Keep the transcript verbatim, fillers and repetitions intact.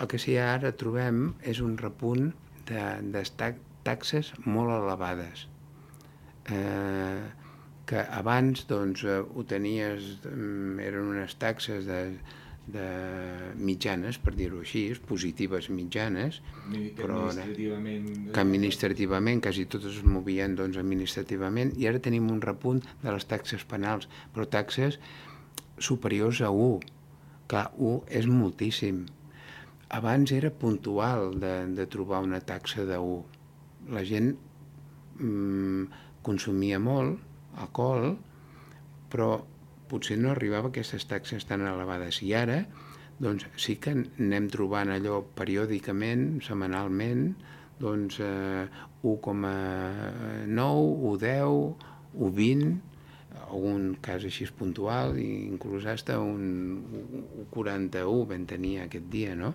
el que sí ara trobem és un repunt de, de taxes molt elevades. Eh, que abans doncs, ho tenies, eren unes taxes de, de mitjanes, per dir-ho així, positives mitjanes, que però administrativament... que administrativament, quasi totes es movien doncs, administrativament, i ara tenim un repunt de les taxes penals, però taxes superiors a u. Clar, u és moltíssim. Abans era puntual de, de trobar una taxa de u. La gent mmm, consumia molt alcohol, però potser no arribava a aquestes taxes tan elevades. I ara, doncs, sí que anem trobant allò periòdicament, setmanalment, doncs, eh, u coma nou, u coma deu, u coma vint, algun cas així puntual, i inclús hasta un u coma quaranta-u vam tenir aquest dia, no?